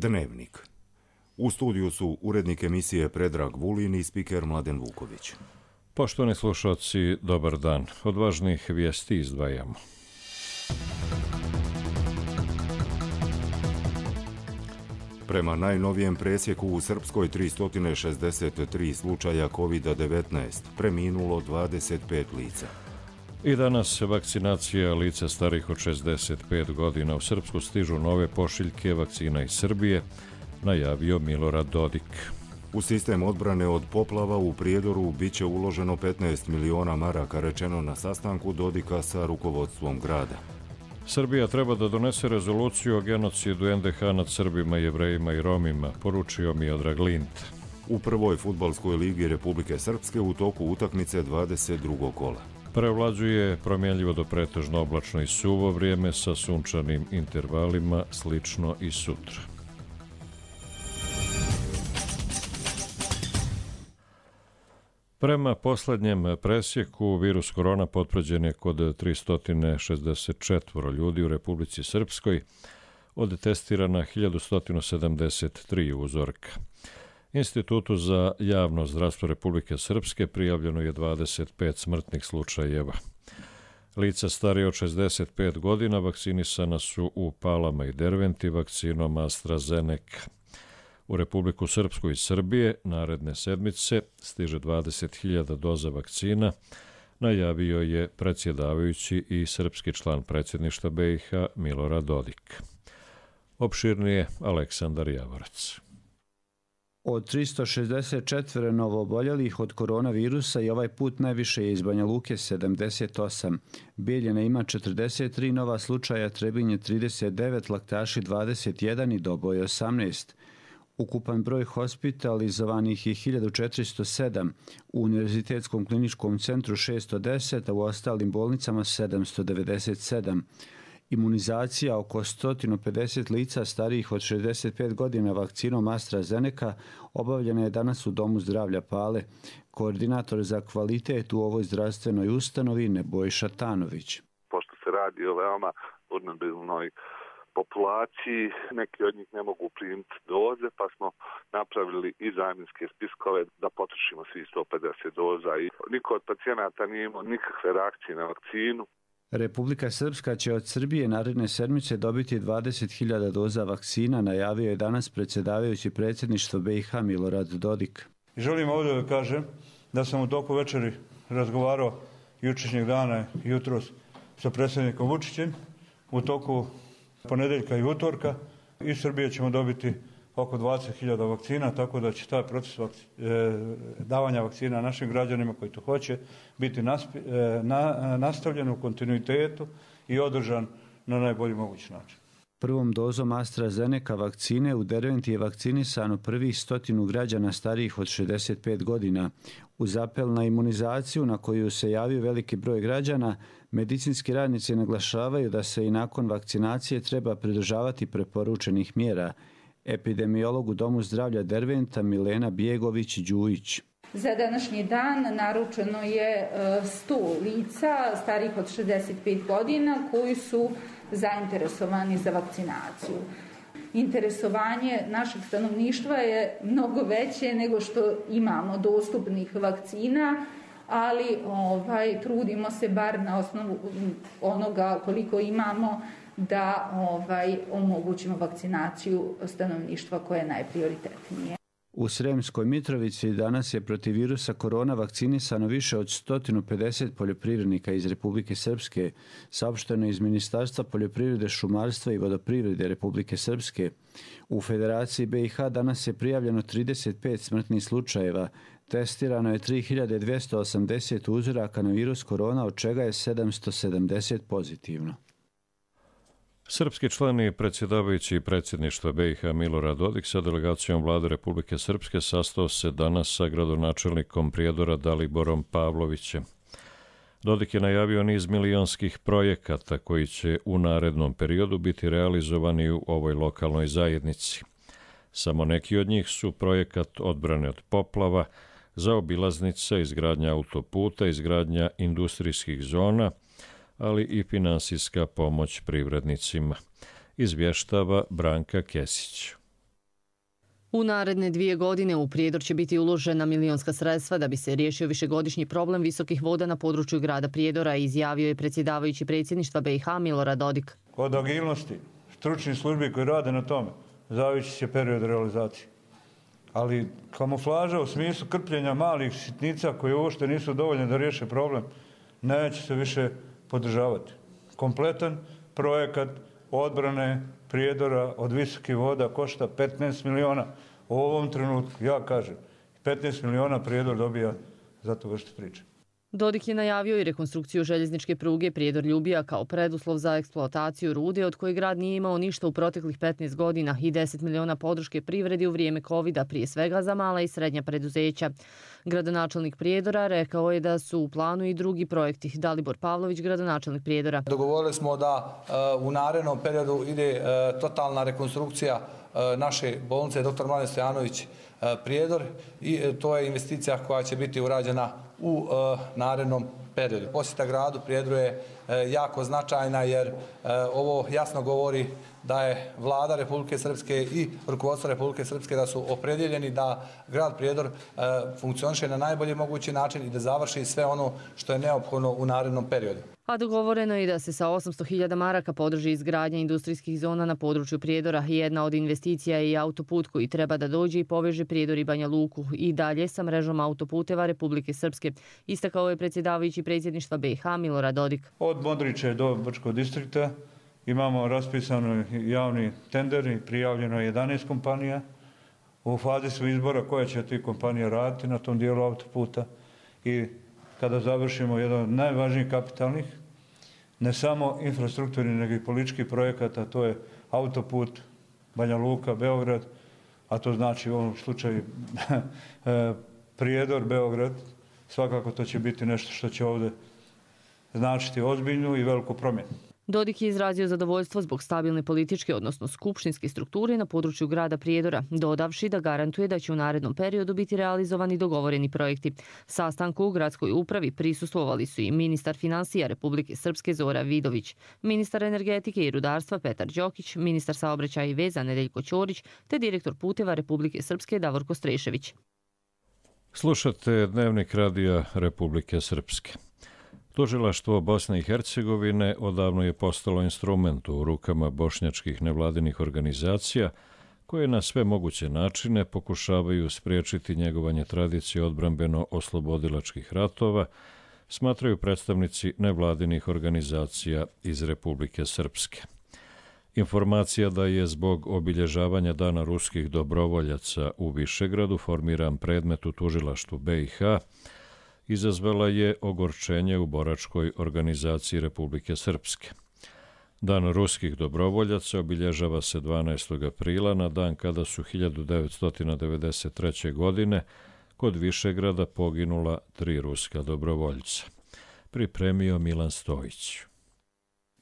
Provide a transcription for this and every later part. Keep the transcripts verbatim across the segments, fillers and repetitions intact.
Dnevnik. U studiju su urednik emisije Predrag Vulin i spiker Mladen Vuković. Poštovani slušalci, dobar dan. Od važnih vijesti izdvajamo. Prema najnovijem presjeku u Srpskoj tristo šezdeset tri slučaja kovid devetnaest, preminulo dvadeset pet lica. I danas vakcinacija lica starih od šezdeset pet godina. U Srpsku stižu nove pošiljke vakcina iz Srbije, najavio Milorad Dodik. U sistem odbrane od poplava u Prijedoru biće uloženo petnaest miliona maraka, rečeno na sastanku Dodika sa rukovodstvom grada. Srbija treba da donese rezoluciju o genocidu en de ha nad Srbima, Jevrejima i Romima, poručio Miodrag Lint. U prvoj fudbalskoj ligi Republike Srpske u toku utakmice dvadeset drugog kola. Prevlađuje promjenljivo do pretežno oblačno i suvo vrijeme sa sunčanim intervalima, slično i sutra. Prema posljednjem presjeku, virus korona potvrđen je kod tristo šezdeset četiri ljudi u Republici Srpskoj, od testirana hiljadu sto sedamdeset tri uzorka. Institutu za javno zdravstvo Republike Srpske prijavljeno je dvadeset pet smrtnih slučajeva. Lica starije od šezdeset pet godina vakcinisana su u Palama i Derventi vakcinom AstraZeneca. U Republiku Srpsku i Srbije naredne sedmice stiže dvadeset hiljada doza vakcina, najavio je predsjedavajući i srpski član predsjedništva be i ha Milorad Dodik. Opširnije Aleksandar Javorac. Od tristo šezdeset četiri novooboljelih od koronavirusa i ovaj put najviše je iz Banja Luke sedamdeset osam. Bijeljina ima četrdeset tri nova slučaja, Trebinje trideset devet, Laktaši dvadeset jedan i Doboj osamnaest. Ukupan broj hospitalizovanih je hiljadu četiristo sedam, u Univerzitetskom kliničkom centru šesto deset, a u ostalim bolnicama sedamsto devedeset sedam. Imunizacija oko sto pedeset lica starijih od šezdeset pet godina vakcinom AstraZeneca obavljena je danas u Domu zdravlja Pale. Koordinator za kvalitet u ovoj zdravstvenoj ustanovi Nebojša Tanović. Pošto se radi o veoma vulnerabilnoj populaciji, neki od njih ne mogu primiti doze, pa smo napravili i zamjenske spiskove da potrošimo svi sto pedeset doza i niko od pacijenata nije imao nikakve reakcije na vakcinu. Republika Srpska će od Srbije naredne sedmice dobiti dvadeset hiljada doza vakcina, najavio je danas predsjedavajući predsjedništvo be i ha Milorad Dodik. Želim ovdje da kažem da sam u toku večeri razgovarao jučerašnjeg dana jutros sa predsjednikom Vučićem. U toku ponedeljka i utorka iz Srbije ćemo dobiti oko dvadeset hiljada vakcina, tako da će taj proces vakci, e, davanja vakcina našim građanima koji to hoće biti naspi, e, na, nastavljen u kontinuitetu i održan na najbolji mogući način. Prvom dozom AstraZeneca vakcine u Derventi je vakcinisano prvih stotinu građana starijih od šezdeset pet godina. Uz apel na imunizaciju na koju se javio veliki broj građana, medicinski radnici naglašavaju da se i nakon vakcinacije treba pridržavati preporučenih mjera. Epidemiolog u Domu zdravlja Derventa Milena Bjegović-Đujić. Za današnji dan naručeno je sto lica starih od šezdeset pet godina koji su zainteresovani za vakcinaciju. Interesovanje našeg stanovništva je mnogo veće nego što imamo dostupnih vakcina, ali ovaj, trudimo se bar na osnovu onoga koliko imamo da ovaj, omogućimo vakcinaciju stanovništva koje je najprioritetnije. U Sremskoj Mitrovici danas je protiv virusa korona vakcinisano više od sto pedeset poljoprivrednika iz Republike Srpske, saopšteno iz Ministarstva poljoprivrede, šumarstva i vodoprivrede Republike Srpske. U Federaciji be i ha danas je prijavljeno trideset pet smrtnih slučajeva, testirano je tri hiljade dvjesto osamdeset uzoraka na virus korona, od čega je sedamsto sedamdeset pozitivno. Srpski član i predsjedavajući predsjedništva be i ha Milorad Dodik sa delegacijom vlade Republike Srpske sastao se danas sa gradonačelnikom Prijedora Daliborom Pavlovićem. Dodik je najavio niz milionskih projekata koji će u narednom periodu biti realizovani u ovoj lokalnoj zajednici. Samo neki od njih su projekat odbrane od poplava, zaobilaznica, izgradnja autoputa, izgradnja industrijskih zona, ali i finansijska pomoć privrednicima, izvještava Branka Kesić. U naredne dvije godine u Prijedor će biti uložena milionska sredstva da bi se riješio višegodišnji problem visokih voda na području grada Prijedora, izjavio je predsjedavajući predsjedništva B i H Milorad Dodik. Od agilnosti stručnih službi koji rade na tome zavisit će period realizacije. Ali kamuflaža u smislu krpljenja malih sitnica koje uopšte nisu dovoljne da riješe problem neće se više podržavati. Kompletan projekat odbrane Prijedora od visokih voda košta petnaest miliona. U ovom trenutku, ja kažem, petnaest miliona Prijedor dobija za to vrstu priče. Dodik je najavio i rekonstrukciju željezničke pruge Prijedor-Ljubija kao preduslov za eksploataciju rude, od koje grad nije imao ništa u proteklih petnaest godina, i deset miliona podrške privredi u vrijeme kovida, prije svega za mala i srednja preduzeća. Gradonačelnik Prijedora rekao je da su u planu i drugi projekti. Dalibor Pavlović, gradonačelnik Prijedora. Dogovorili smo da u narednom periodu ide totalna rekonstrukcija naše bolnice doktor Mladen Stojanović Prijedor i to je investicija koja će biti urađena u narednom periodu. Posjeta gradu Prijedoru je jako značajna jer ovo jasno govori da je vlada Republike Srpske i rukovodstvo Republike Srpske da su opredjeljeni da grad Prijedor funkcioniše na najbolji mogući način i da završi sve ono što je neophodno u narednom periodu. A dogovoreno je da se sa osamsto hiljada maraka podrži izgradnja industrijskih zona na području Prijedora. Jedna od investicija je i autoput koji treba da dođe i poveže Prijedor i Banja Luku i dalje sa mrežom autoputeva Republike Srpske, istakao je predsjedavajući predsjedništva B i H Milorad Dodik. Od Modriče do Brčkog distrikta imamo raspisano javni tender i prijavljeno jedanaest kompanija. U fazi su izbora koje će ti kompanije raditi na tom dijelu autoputa i kada završimo jedan od najvažnijih kapitalnih, ne samo infrastrukturnih, nego i političkih projekata, to je autoput Banja Luka, Beograd, a to znači u ovom slučaju Prijedor, Beograd, svakako to će biti nešto što će ovdje značiti ozbiljnu i veliku promjenu. Dodik je izrazio zadovoljstvo zbog stabilne političke, odnosno skupštinske strukture na području grada Prijedora, dodavši da garantuje da će u narednom periodu biti realizovani dogovoreni projekti. Sastanku u gradskoj upravi prisustvovali su i ministar finansija Republike Srpske Zora Vidović, ministar energetike i rudarstva Petar Đokić, ministar saobraćaja i veza Nedeljko Ćorić te direktor puteva Republike Srpske Davorko Strešević. Slušate Dnevnik radija Republike Srpske. Tužilaštvo Bosne i Hercegovine odavno je postalo instrument u rukama bošnjačkih nevladinih organizacija koje na sve moguće načine pokušavaju spriječiti njegovanje tradicije odbrambeno-oslobodilačkih ratova, smatraju predstavnici nevladinih organizacija iz Republike Srpske. Informacija da je zbog obilježavanja Dana ruskih dobrovoljaca u Višegradu formiran predmet u tužilaštvu B i H izazvala je ogorčenje u boračkoj organizaciji Republike Srpske. Dan ruskih dobrovoljaca obilježava se dvanaestog aprila na dan kada su hiljadu devetsto devedeset treće. godine kod Višegrada poginula tri ruska dobrovoljca. Pripremio Milan Stojić.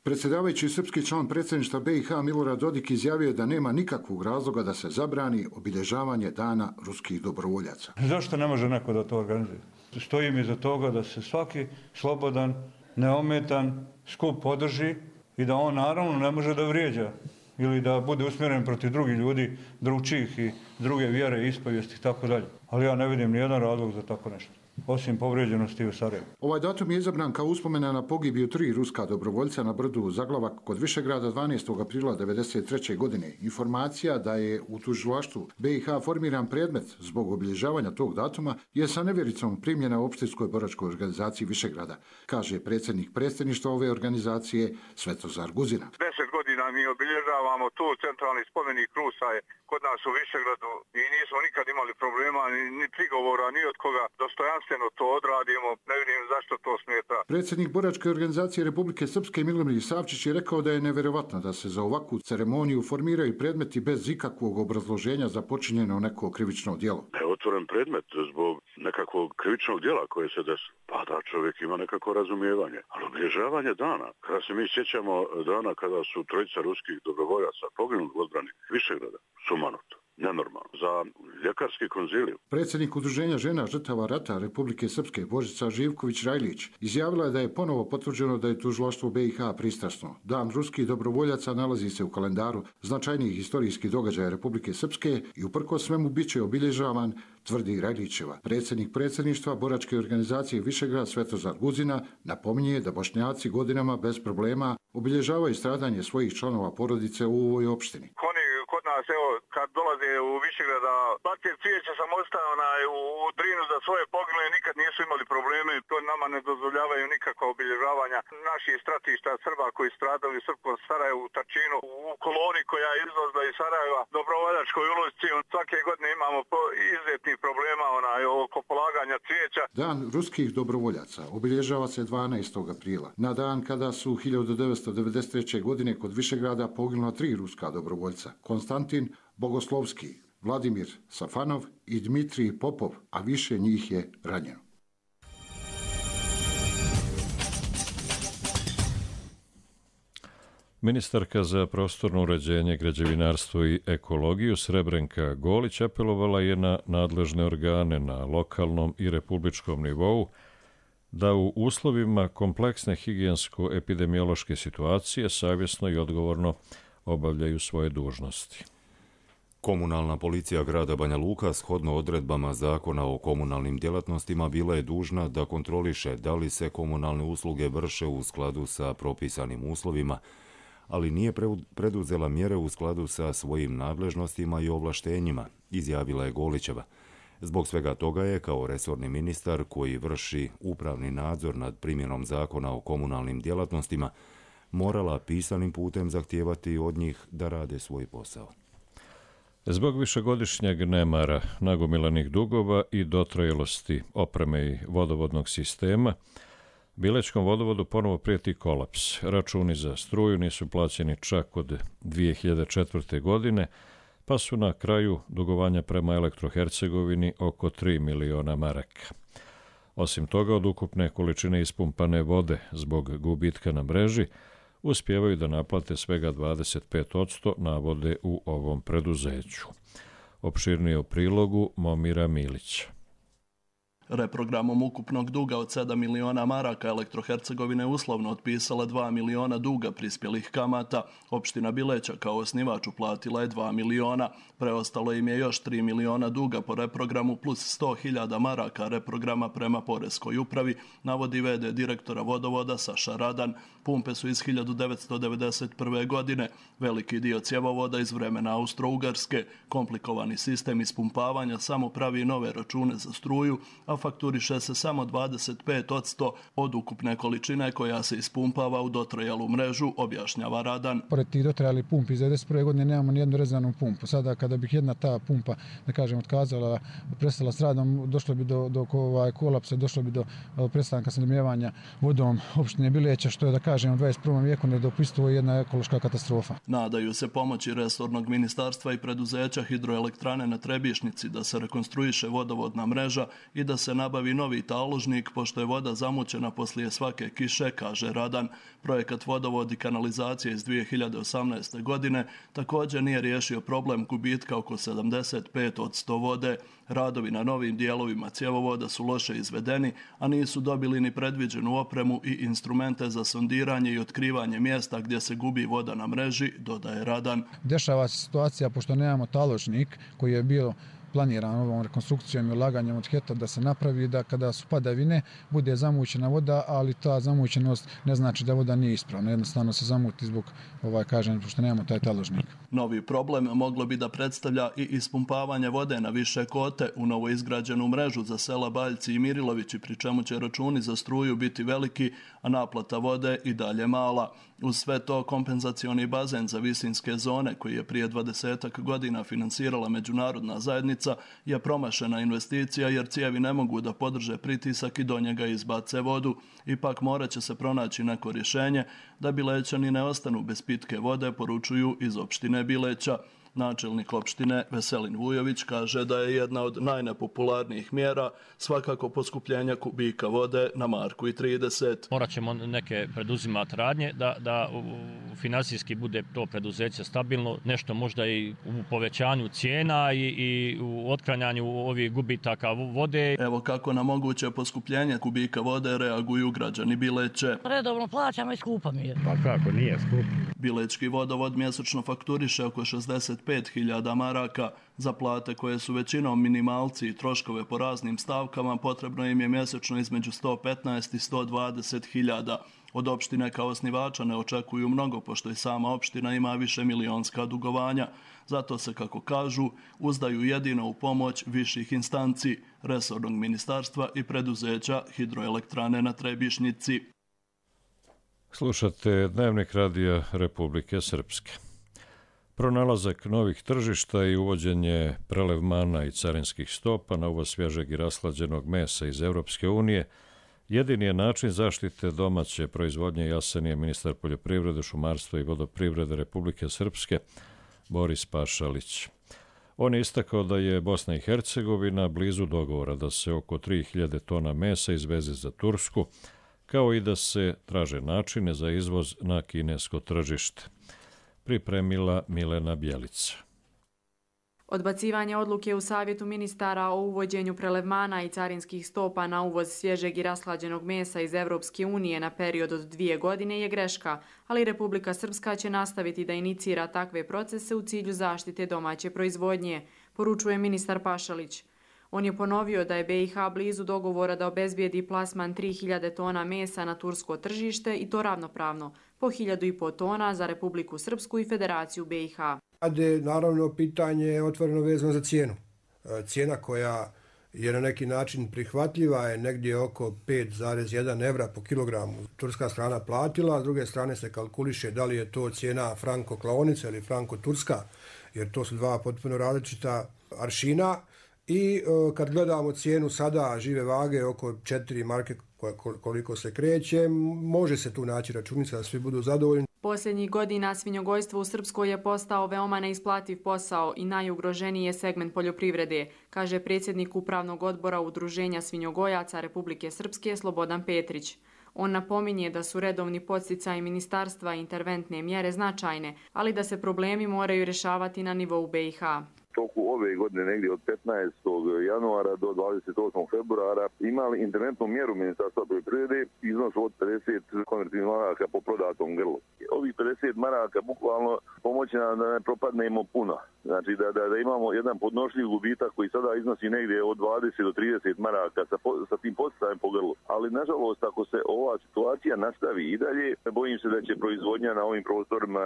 Predsjedavajući srpski član predsjedništva B i H Milorad Dodik izjavio da nema nikakvog razloga da se zabrani obilježavanje Dana ruskih dobrovoljaca. Zašto ne može neko da to organizuje? Stojim iza toga da se svaki slobodan, neometan skup podrži i da on naravno ne može da vrijeđa ili da bude usmjeren protiv drugih ljudi, drugčijih i druge vjere, ispovijesti i tako dalje. Ali ja ne vidim nijedan razlog za tako nešto, osim povrijeđenosti u Sarajevu. Ovaj datum je izabran kao uspomena na pogibiju tri ruska dobrovoljca na brdu Zaglavak kod Višegrada dvanaestog aprila devedeset treće. godine. Informacija da je u tužilaštvu B i H formiran predmet zbog obilježavanja tog datuma je sa nevjericom primljena u opštinskoj boračkoj organizaciji Višegrada, kaže predsjednik predsjedništva ove organizacije Svetozar Guzina. Deset godina mi obilježavamo tu, centralni spomenik Rusa je kod nas u Višegradu i nismo nikad imali problema, ni, ni prigovora, ni od koga. Dostojanstveno to odradimo, ne vidim zašto to smeta. Predsjednik boračke organizacije Republike Srpske Milomir Savčić je rekao da je nevjerovatno da se za ovakvu ceremoniju formiraju predmeti bez ikakvog obrazloženja za počinjeno neko krivično djelo. Je otvoren predmet zbog nekakvog krivičnog djela koje se desi. Pa da, čovjek ima nekako razumijevanje. Ali obilježavanje dana, kada se mi sjećamo dana kada su trojica ruskih dobrovoljaca poginuli u odbrani Višegrada, sumanuto. nenormalno. Za ljekarski konzilij. Predsjednik Udruženja žena žrtava rata Republike Srpske Božica Živković-Rajlić izjavila je da je ponovo potvrđeno da je tužilaštvo B i H pristrasno. Dan ruskih dobrovoljaca nalazi se u kalendaru značajnijih historijskih događaja Republike Srpske i uprkos svemu bit će obilježavan, tvrdi Rajlićeva. Predsjednik predsjedništva boračke organizacije Višegrad Svetozar Guzina napominje da Bošnjaci godinama bez problema obilježavaju stradanje svojih članova porodice u ovoj opštini. Kod nas, evo, kad dolaze u Višegrada, bace cvijeće sam ostao na, u, u Drinu za svoje poginule, nikad nisu imali probleme, to nama ne dozvoljavaju nikakva obilježavanja naših stratišta Srba koji stradali u Srpskom Sarajevu, u Tačinu, u koloni koja je izlazila iz Sarajeva, Dobrovoljačkoj ulici. Svake godine imamo izuzetnih problema onaj, oko polaganja cvijeća. Dan ruskih dobrovoljaca obilježava se dvanaestog aprila, na dan kada su hiljadu devetsto devedeset treće. godine kod Višegrada poginula tri ruska dobrovoljca. Konstantin Bogoslovski, Vladimir Safanov i Dmitrij Popov, a više njih je ranjeno. Ministarka za prostorno uređenje, građevinarstvo i ekologiju Srebrenka Golić apelovala je na nadležne organe na lokalnom i republičkom nivou da u uslovima kompleksne higijensko-epidemiološke situacije savjesno i odgovorno obavljaju svoje dužnosti. Komunalna policija grada Banja Luka shodno odredbama Zakona o komunalnim djelatnostima bila je dužna da kontroliše da li se komunalne usluge vrše u skladu sa propisanim uslovima, ali nije preduzela mjere u skladu sa svojim nadležnostima i ovlaštenjima, izjavila je Golićeva. Zbog svega toga je, kao resorni ministar koji vrši upravni nadzor nad primjenom Zakona o komunalnim djelatnostima, morala pisanim putem zahtijevati od njih da rade svoj posao. Zbog višegodišnjeg nemara, nagomilanih dugova i dotrajalosti opreme i vodovodnog sistema, Bilečkom vodovodu ponovo prijeti kolaps. Računi za struju nisu plaćeni čak od dvije hiljade četvrte. godine, pa su na kraju dugovanja prema Elektrohercegovini oko tri miliona maraka. Osim toga, od ukupne količine ispumpane vode zbog gubitka na mreži, uspijevaju da naplate svega dvadeset pet posto navode u ovom preduzeću. Opširnije u prilogu Momira Milića. Reprogramom ukupnog duga od sedam miliona maraka Elektrohercegovina je uslovno otpisala dva miliona duga prispjelih kamata. Opština Bileća kao osnivač uplatila je dva miliona. Preostalo im je još tri miliona duga po reprogramu plus sto hiljada maraka reprograma prema Poreskoj upravi, navodi ve de direktora vodovoda Saša Radan. Pumpe su iz hiljadu devetsto devedeset prve. godine. Veliki dio cjevovoda iz vremena Austro-Ugarske. Komplikovani sistem ispumpavanja samo pravi nove račune za struju, a fakturiše se samo dvadeset pet posto od ukupne količine koja se ispumpava u dotrajalu mrežu, objašnjava Radan. Pored tih dotrajali pumpi iz devedeset prve. godine nemamo nijednu rezervnu pumpu. Sada kada bih jedna ta pumpa, da kažem, otkazala, prestala s radom, došlo bi do, do ovaj, kolapsa, došlo bi do prestanka snabdijevanja vodom opštine Bileća, što je, da kažem, u dvadeset prvom. vijeku nedopustivo i jedna ekološka katastrofa. Nadaju se pomoći resornog ministarstva i preduzeća hidroelektrane na Trebišnici da se rekonstruiše vodovodna mreža i da se nabavi novi taložnik, pošto je voda zamućena poslije svake kiše, kaže Radan. Projekat vodovod i kanalizacije iz dvije hiljade osamnaeste. godine također nije riješio problem gubitka oko sedamdeset pet posto vode. Radovi na novim dijelovima cjevovoda su loše izvedeni, a nisu dobili ni predviđenu opremu i instrumente za sondiranje i otkrivanje mjesta gdje se gubi voda na mreži, dodaje Radan. Dešava se situacija, pošto nemamo taložnik koji je bio planiran ovom rekonstrukcijom i ulaganjem od hektar da se napravi da kada su padavine bude zamućena voda, ali ta zamućenost ne znači da voda nije ispravna. Jednostavno se zamuti zbog, ovaj, kažem, pošto nemamo taj taložnik. Novi problem moglo bi da predstavlja i ispumpavanje vode na više kote u novo izgrađenu mrežu za sela Baljci i Mirilovići, pri čemu će računi za struju biti veliki, a naplata vode i dalje mala. Uz sve to, kompenzacioni bazen za visinske zone, koji je prije dvadesetak godina finansirala međunarodna zajednica, je promašena investicija jer cijevi ne mogu da podrže pritisak i do njega izbace vodu. Ipak morat će se pronaći neko rješenje da Bilećani ne ostanu bez pitke vode, poručuju iz opštine Bileća. Načelnik opštine Veselin Vujović kaže da je jedna od najnepopularnijih mjera svakako poskupljenja kubika vode na marku i trideset. Morat ćemo neke preduzimati radnje da, da finansijski bude to preduzeće stabilno, nešto možda i u povećanju cijena i, i u otklanjanju ovih gubitaka vode. Evo kako na moguće poskupljenje kubika vode reaguju građani Bileće. Redovno plaćamo i skupa mi je. Pa kako, nije skup. Bilečki vodovod mjesečno fakturiše oko šezdeset pet hiljada maraka. Za plate koje su većinom minimalci i troškove po raznim stavkama potrebno im je mjesečno između sto petnaest i sto dvadeset hiljada. Od opštine kao osnivača ne očekuju mnogo, pošto i sama opština ima više milionska dugovanja. Zato se, kako kažu, uzdaju jedino u pomoć viših instanci, resornog ministarstva i preduzeća Hidroelektrane na Trebišnjici. Slušate Dnevnik radija Republike Srpske. Pronalazak novih tržišta i uvođenje prelevmana i carinskih stopa na uvoz svježeg i rashlađenog mesa iz Europske unije jedini je način zaštite domaće proizvodnje, jasnije ministar poljoprivrede, šumarstva i vodoprivrede Republike Srpske Boris Pašalić. On je istakao da je Bosna i Hercegovina blizu dogovora da se oko tri hiljade tona mesa izveze za Tursku, kao i da se traže načine za izvoz na kinesko tržište. Pripremila Milena Bjelica. Odbacivanje odluke u Savjetu ministara o uvođenju prelevmana i carinskih stopa na uvoz svježeg i rashlađenog mesa iz Europske unije na period od dvije godine je greška, ali Republika Srpska će nastaviti da inicira takve procese u cilju zaštite domaće proizvodnje, poručuje ministar Pašalić. On je ponovio da je B i H blizu dogovora da obezbijedi plasman tri hiljade tona mesa na tursko tržište i to ravnopravno, po hiljadu i po tona za Republiku Srpsku i Federaciju B i H. Naravno, pitanje je otvoreno vezano za cijenu. Cijena koja je na neki način prihvatljiva je negdje oko pet zarez jedan evra po kilogramu. Turska strana platila, a s druge strane se kalkuliše da li je to cijena franko-klaonica ili franko-turska, jer to su dva potpuno različita aršina. I kad gledamo cijenu sada žive vage oko četiri marke koliko se kreće, može se tu naći računica da svi budu zadovoljni. Posljednjih godina svinjogojstvo u Srpskoj je postao veoma neisplativ posao i najugroženiji je segment poljoprivrede, kaže predsjednik Upravnog odbora Udruženja svinjogojaca Republike Srpske Slobodan Petrić. On napominje da su redovni podsticaji ministarstva i interventne mjere značajne, ali da se problemi moraju rješavati na nivou B i H. Toku ove godine, negdje od petnaestog januara do dvadeset osmog februara, imali interventnu mjeru Ministarstva poljoprivrede iznos od pedeset konvertivnih maraka po prodatom grlu. Ovih pedeset maraka bukvalno pomoći nam da ne propadnemo puno. Znači da, da, da imamo jedan podnošljiv gubitak koji sada iznosi negdje od dvadeset do trideset maraka sa, sa tim podsticajem po grlu. Ali nažalost, ako se ova situacija nastavi i dalje, bojim se da će proizvodnja na ovim prostorima,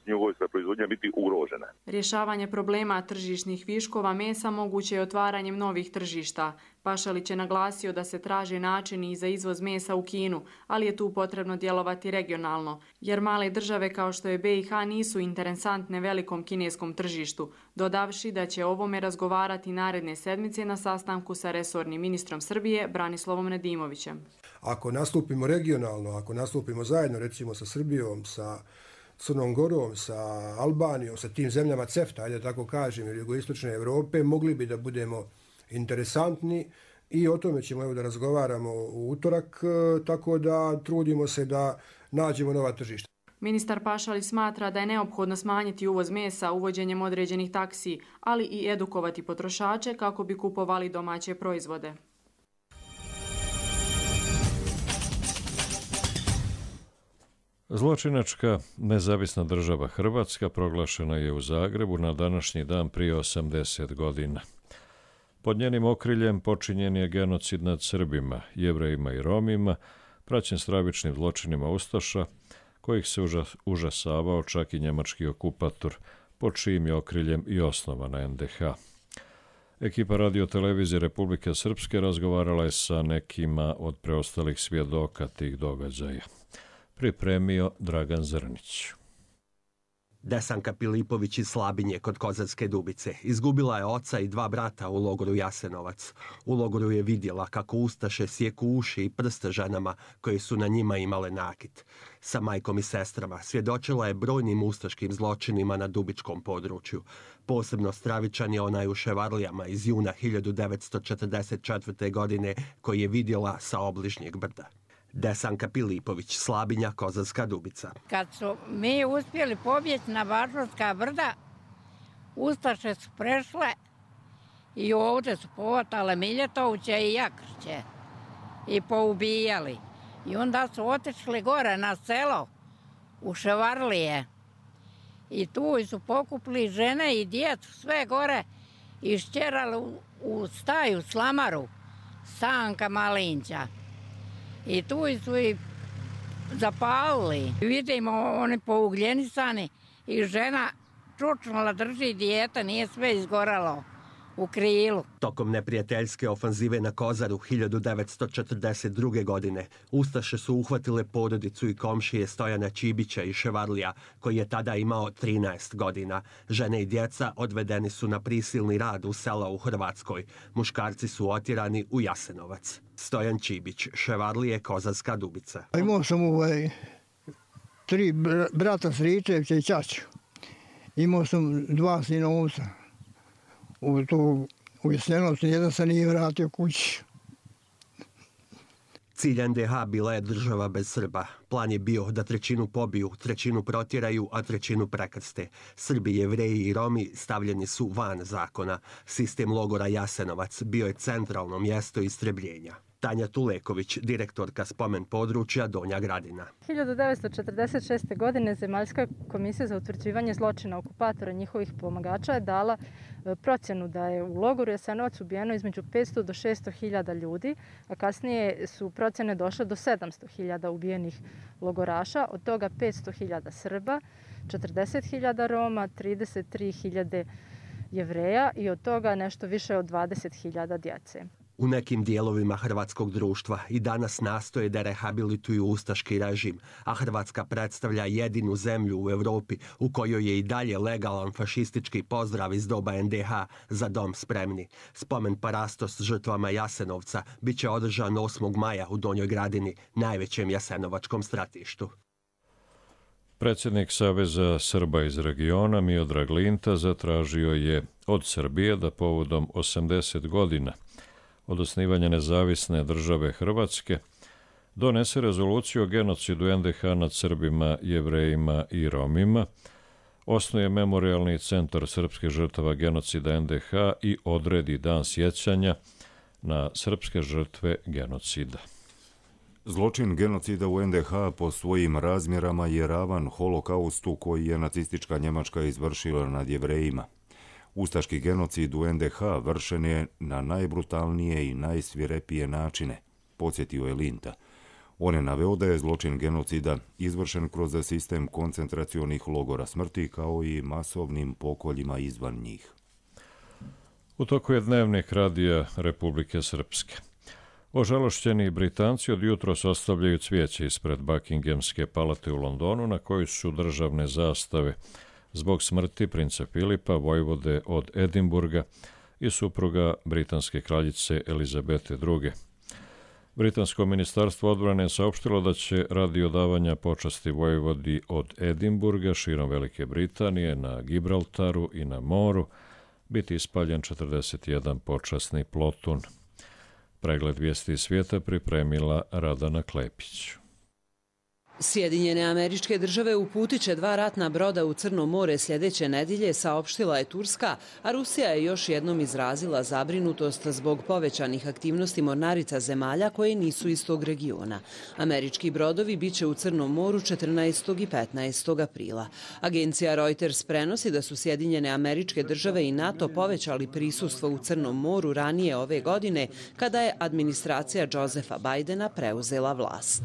svinjogojska proizvodnja biti ugrožena. Rješavanje problema tržišnih viškova mesa moguće je otvaranjem novih tržišta. Pašalić je naglasio da se traže načini za izvoz mesa u Kinu, ali je tu potrebno djelovati regionalno, jer male države kao što je B i H nisu interesantne velikom kineskom tržištu, dodavši da će o ovome razgovarati naredne sedmice na sastanku sa resornim ministrom Srbije Branislavom Nedimovićem. Ako nastupimo regionalno, ako nastupimo zajedno recimo sa Srbijom, sa Crnom Gorom, sa Albanijom, sa tim zemljama CEFTA, ajde tako kažem, ili jugoistočne Evrope, mogli bi da budemo interesantni i o tome ćemo evo da razgovaramo u utorak, tako da trudimo se da nađemo nova tržišta. Ministar Pašalić smatra da je neophodno smanjiti uvoz mesa uvođenjem određenih taksi, ali i edukovati potrošače kako bi kupovali domaće proizvode. Zločinačka nezavisna država Hrvatska proglašena je u Zagrebu na današnji dan prije osamdeset godina. Pod njenim okriljem počinjen je genocid nad Srbima, Jevrejima i Romima, praćen stravičnim zločinima ustaša, kojih se užasavao čak i njemački okupator, pod čijim je okriljem i osnovana en de ha. Ekipa radiotelevizije Republike Srpske razgovarala je sa nekima od preostalih svjedoka tih događaja. Pripremio Dragan Zrnić. Desanka Pilipović iz Slabinje kod Kozarske Dubice izgubila je oca i dva brata u logoru Jasenovac. U logoru je vidjela kako ustaše sjeku uši i prste ženama koje su na njima imale nakit. Sa majkom i sestrama svjedočila je brojnim ustaškim zločinima na dubičkom području. Posebno stravičan je onaj u Ševarlijama iz juna hiljadu devetsto četrdeset četvrte. godine koji je vidjela sa obližnjeg brda. Desanka Pilipović, Slabinja, Kozarska Dubica. Kad su mi uspjeli pobjeći na Bažurska brda, ustaše su prešle i ovdje su povatale Miljetovića i Jakrće i poubijali. I onda su otišli gore na selo u Ševarlije i tu su pokupili žene i djecu sve gore i šćerali u, u staju slamaru Stanka Malinća. I tu su i zapalili. Vidimo oni pougljenisani i žena čučnula drži dijete, nije sve izgoralo u krilu. Tokom neprijateljske ofanzive na Kozaru hiljadu devetsto četrdeset druge. godine ustaše su uhvatile porodicu i komšije Stojana Čibića i Ševarlija, koji je tada imao trinaest godina. Žene i djeca odvedeni su na prisilni rad u sela u Hrvatskoj. Muškarci su otjerani u Jasenovac. Stojan Čibić, Ševarlije, Kozarska Dubica. Imao sam ovaj, tri brata Sričevića i ćaću. Imao sam dva sinovca. U, tu, u Jasenovcu jedan se nije vratio kući. Cilj en de ha bila je država bez Srba. Plan je bio da trećinu pobiju, trećinu protjeraju, a trećinu prekrste. Srbi, Jevreji i Romi stavljeni su van zakona. Sistem logora Jasenovac bio je centralno mjesto istrebljenja. Tanja Tuleković, direktorka spomen područja Donja Gradina. hiljadu devetsto četrdeset šeste. godine Zemaljska komisija za utvrđivanje zločina okupatora i njihovih pomagača je dala procjenu da je u logoru Jasenovac ubijeno između petsto do šesto hiljada ljudi, a kasnije su procjene došle do sedamsto hiljada ubijenih logoraša, od toga petsto hiljada Srba, četrdeset hiljada Roma, trideset tri hiljade Jevreja i od toga nešto više od dvadeset hiljada djece. U nekim dijelovima hrvatskog društva i danas nastoje da rehabilituju ustaški režim, a Hrvatska predstavlja jedinu zemlju u Europi u kojoj je i dalje legalan fašistički pozdrav iz doba en de ha za dom spremni. Spomen parastos žrtvama Jasenovca bit će održan osmog maja u Donjoj Gradini, najvećem jasenovačkom stratištu. Predsjednik Saveza Srba iz regiona Miodrag Linta zatražio je od Srbije da povodom osamdeset godina od osnivanja nezavisne države Hrvatske donese rezoluciju o genocidu en de ha nad Srbima, Jevrejima i Romima, osnuje memorialni centar srpskih žrtava genocida en de ha i odredi dan sjećanja na srpske žrtve genocida. Zločin genocida u en de ha po svojim razmjerama je ravan holokaustu koji je nacistička Njemačka izvršila nad Jevrejima. Ustaški genocid u en de ha vršen je na najbrutalnije i najsvirepije načine, podsjetio je Linta. On je naveo da je zločin genocida izvršen kroz sistem koncentracionih logora smrti kao i masovnim pokoljima izvan njih. U toku je dnevnik Radija Republike Srpske. Ožalošćeni Britanci od jutros ostavljaju cvijeće ispred Buckinghamske palate u Londonu na kojoj su državne zastave zbog smrti princa Filipa, vojvode od Edinburga i supruga britanske kraljice Elizabete druge. Britansko ministarstvo odbrane je saopštilo da će radi odavanja počasti vojvodi od Edinburga širom Velike Britanije na Gibraltaru i na moru biti ispaljen četrdeset jedan počasni plotun. Pregled vijesti svijeta pripremila Radana Klepić. Sjedinjene Američke Države uputit će dva ratna broda u Crno more sljedeće nedjelje, saopštila je Turska, a Rusija je još jednom izrazila zabrinutost zbog povećanih aktivnosti mornarica zemalja koje nisu iz tog regiona. Američki brodovi biće u Crnom moru četrnaestog i petnaestog aprila. Agencija Reuters prenosi da su Sjedinjene Američke Države i NATO povećali prisustvo u Crnom moru ranije ove godine, kada je administracija Josefa Bidena preuzela vlast.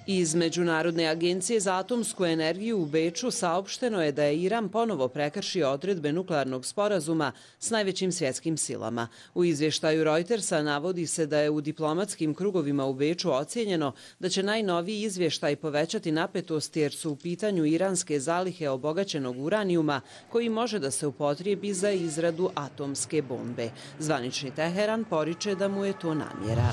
Iz Međunarodne agencije za atomsku energiju u Beču saopšteno je da je Iran ponovo prekršio odredbe nuklearnog sporazuma s najvećim svjetskim silama. U izvještaju Reutersa navodi se da je u diplomatskim krugovima u Beču ocijenjeno da će najnoviji izvještaj povećati napetost jer su u pitanju iranske zalihe obogaćenog uranijuma koji može da se upotrijebi za izradu atomske bombe. Zvanični Teheran poriče da mu je to namjera.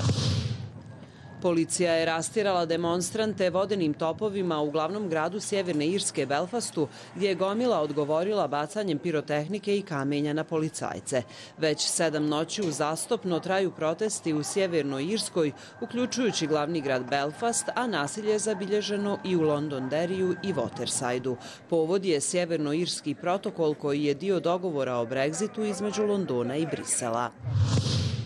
Policija je rastjerala demonstrante vodenim topovima u glavnom gradu Sjeverne Irske Belfastu, gdje je gomila odgovorila bacanjem pirotehnike i kamenja na policajce. Već sedam noći uzastopno traju protesti u Sjevernoj Irskoj, uključujući glavni grad Belfast, a nasilje je zabilježeno i u Londonderriju i Watersideu. Povod je Sjevernoirski protokol koji je dio dogovora o Brexitu između Londona i Brisela.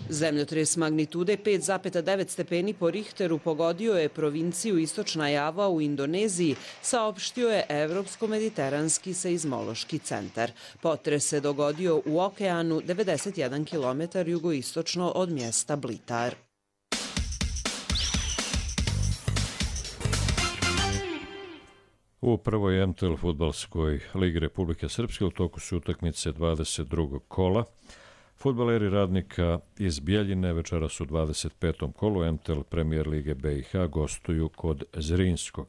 Zemljotres magnitude pet zarez devet stepeni po Richteru pogodio je provinciju Istočna Java u Indoneziji, saopštio je Evropsko-mediteranski seizmološki centar. Potres se dogodio u okeanu devedeset jedan kilometara jugoistočno od mjesta Blitar. U prvoj M T L fudbalskoj ligi Republike Srpske u toku su utakmice dvadeset drugog kola. Fudbaleri Radnika iz Bjeljine večeras u dvadeset petom kolu M T L Premier Lige B i H gostuju kod Zrinskog.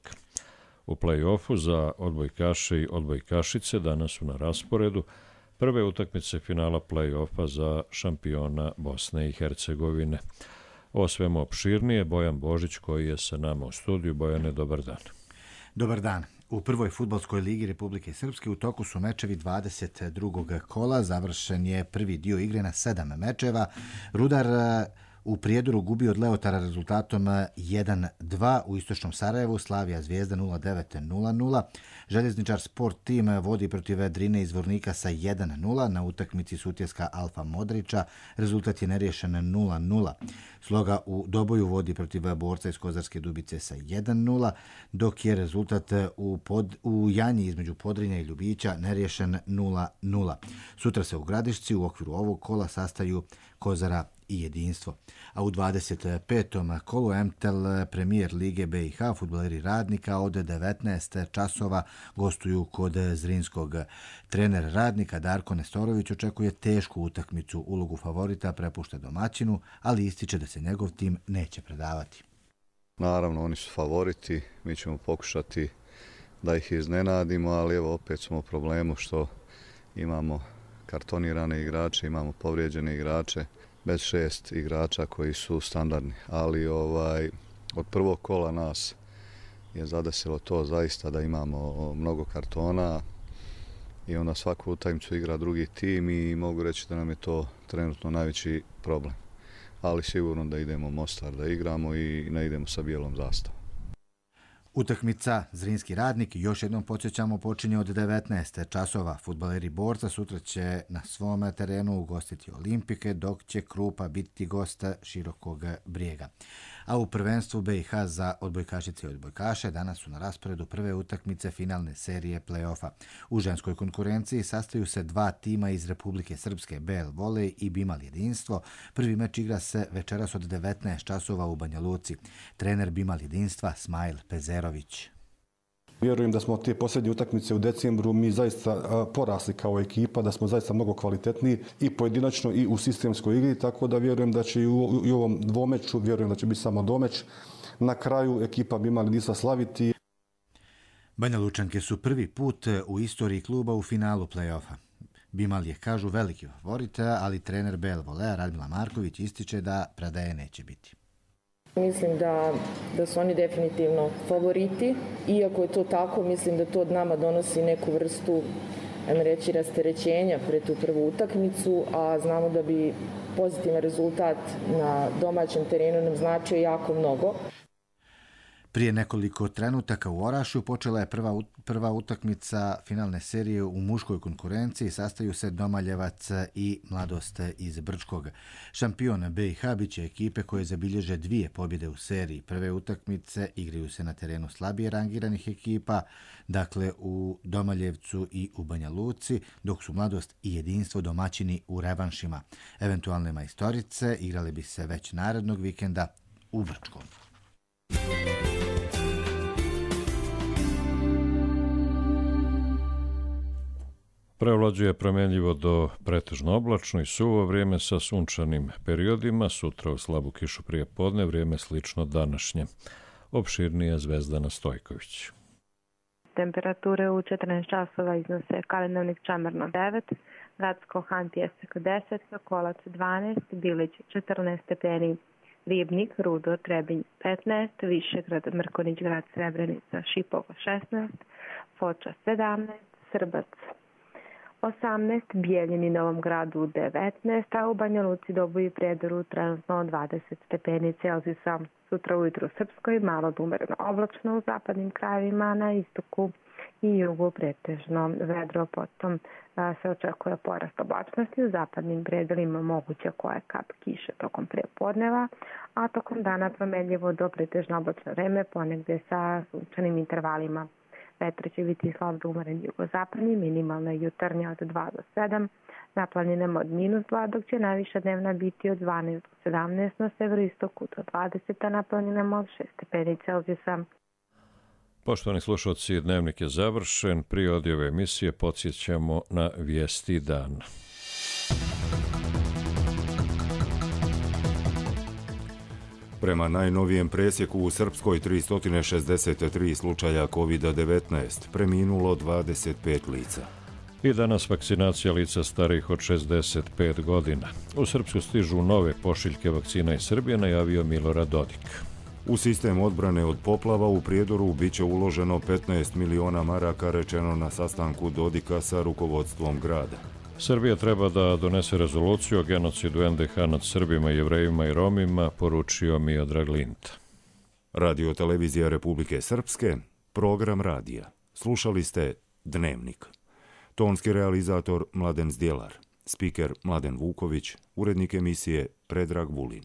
U play-offu za odbojkaše i odbojkašice danas su na rasporedu prve utakmice finala play-offa za šampiona Bosne i Hercegovine. O svemu opširnije Bojan Božić koji je sa nama u studiju. Bojane, dobar dan. Dobar dan. U prvoj fudbalskoj ligi Republike Srpske u toku su mečevi dvadeset drugog kola. Završen je prvi dio igre na sedam mečeva. Rudar u Prijedoru gubi od Leotara rezultatom jedan dva, u Istočnom Sarajevu Slavija Zvijezda nula devet nula nula. Željezničar Sport Tim vodi protiv Drine iz Vornika sa jedan nula. Na utakmici Sutjeska Alfa Modrića rezultat je neriješen nula nula. Sloga u Doboju vodi protiv Borca iz Kozarske Dubice sa jedan nula, dok je rezultat u, pod, u Janji između Podrinja i Ljubića neriješen nula nula. Sutra se u Gradišci u okviru ovog kola sastaju Kozara i Jedinstvo. A u dvadeset petom kolu M T L Premier Lige B i H fudbaleri Radnika od devetnaest časova gostuju kod Zrinskog. Trener Radnika Darko Nestorović očekuje tešku utakmicu. Ulogu favorita prepušta domaćinu, ali ističe da se njegov tim neće predavati. Naravno, oni su favoriti, mi ćemo pokušati da ih iznenadimo, ali evo opet smo u problemu što imamo kartonirane igrače, imamo povrijeđene igrače, bez šest igrača koji su standardni, ali ovaj od prvog kola nas je zadesilo to zaista da imamo mnogo kartona i onda svaku utakmicu igra drugi tim i mogu reći da nam je to trenutno najveći problem. Ali sigurno da idemo Mostar da igramo i ne idemo sa bijelom zastavom. Utakmica Zrinski Radnik, još jednom podsjećamo, počinje od devetnaest časova. Fudbaleri Borca sutra će na svom terenu ugostiti Olimpike, dok će Krupa biti gosta Širokog Brijega. A u prvenstvu B i H za odbojkašice i odbojkaše danas su na rasporedu prve utakmice finalne serije play-offa. U ženskoj konkurenciji sastaju se dva tima iz Republike Srpske, B L Volej i Bimal Jedinstvo. Prvi meč igra se večeras od devetnaest časova u Banja Luci. Trener Bimal Jedinstva Smajl Pezerović. Vjerujem da smo te posljednje utakmice u decembru mi zaista porasli kao ekipa, da smo zaista mnogo kvalitetniji i pojedinačno i u sistemskoj igri, tako da vjerujem da će i u, i u ovom dvomeču, vjerujem da će biti samo domeč. Na kraju ekipa bi imali Disa slaviti. Banja Lučanke su prvi put u istoriji kluba u finalu play-offa. Bimal je, kažu, veliki favorit, ali trener B L Volea Radmila Marković ističe da predaje neće biti. Mislim da, da su oni definitivno favoriti. Iako je to tako, mislim da to od nama donosi neku vrstu, ajmo reći, rasterećenja pred tu prvu utakmicu, a znamo da bi pozitivan rezultat na domaćem terenu nam značio jako mnogo. Prije nekoliko trenutaka u Orašju počela je prva, prva utakmica finalne serije u muškoj konkurenciji. Sastaju se Domaljevac i Mladost iz Brčkog. Šampion B i H biće ekipe koje zabilježe dvije pobjede u seriji. Prve utakmice igraju se na terenu slabije rangiranih ekipa, dakle u Domaljevcu i u Banja Luci, dok su Mladost i Jedinstvo domaćini u revanšima. Eventualne majstorice igrale bi se već narednog vikenda u Brčkom. Prevlađuje promjenljivo do pretežno oblačno i suvo vrijeme sa sunčanim periodima, sutra u slabu kišu prije podne, vrijeme slično današnje. Opširnije Zvezdana Stojković. Temperature u četrnaest časova iznose Kalemegdana Čamarno devet, Gradsko Han Pjesak deset, Sokolac dvanaest, Bilić četrnaest stepeni, Ribnik, Rudo, Trebinj petnaest, Višegrad, Mrkonić Grad, Srebrenica, Šipovo šesnaest, Foča sedamnaest, Srbac osamnaest, Bijeljini, Novom Gradu devetnaest, a u Banja Luci, Dobu i Prijedoru trenutno dvadeset stepeni Celzijusa. Sutra ujutru u Srpskoj malo do umereno oblačno, u zapadnim krajevima, na istoku i jugu pretežno vedro, potom a, se očekuje porast oblačnosti, u zapadnim predelima moguća koja kap kiše tokom prepodneva, a tokom dana promenljivo do pretežno oblačno vreme, ponegde sa sunčanim intervalima. Vetar će biti slab do umeren jugozapadni, minimalna jutarnja od dva do sedam, na planinama od minus dva, dok će najviša dnevna biti od dvanaest do sedamnaest, na severoistoku do dvadeset, a na planinama od šest stepeni Celzijusa. Poštovani slušalci, dnevnik je završen. Prije odjave emisije podsjećamo na vijesti dana. Prema najnovijem presjeku u Srpskoj tristo šezdeset tri slučaja kovid devetnaest, preminulo dvadeset pet lica. I danas vakcinacija lica starijih od šezdeset pet godina. U Srpsku stižu nove pošiljke vakcina iz Srbije, najavio Milorad Dodik. U sistem odbrane od poplava u Prijedoru biće uloženo petnaest miliona maraka, rečeno na sastanku Dodika sa rukovodstvom grada. Srbija treba da donese rezoluciju o genocidu en de ha nad Srbima, Jevrejima i Romima, poručio Miodrag Linta. Radio televizija Republike Srpske, program radija. Slušali ste Dnevnik. Tonski realizator Mladen Zdjelar, spiker Mladen Vuković, urednik emisije Predrag Vulin.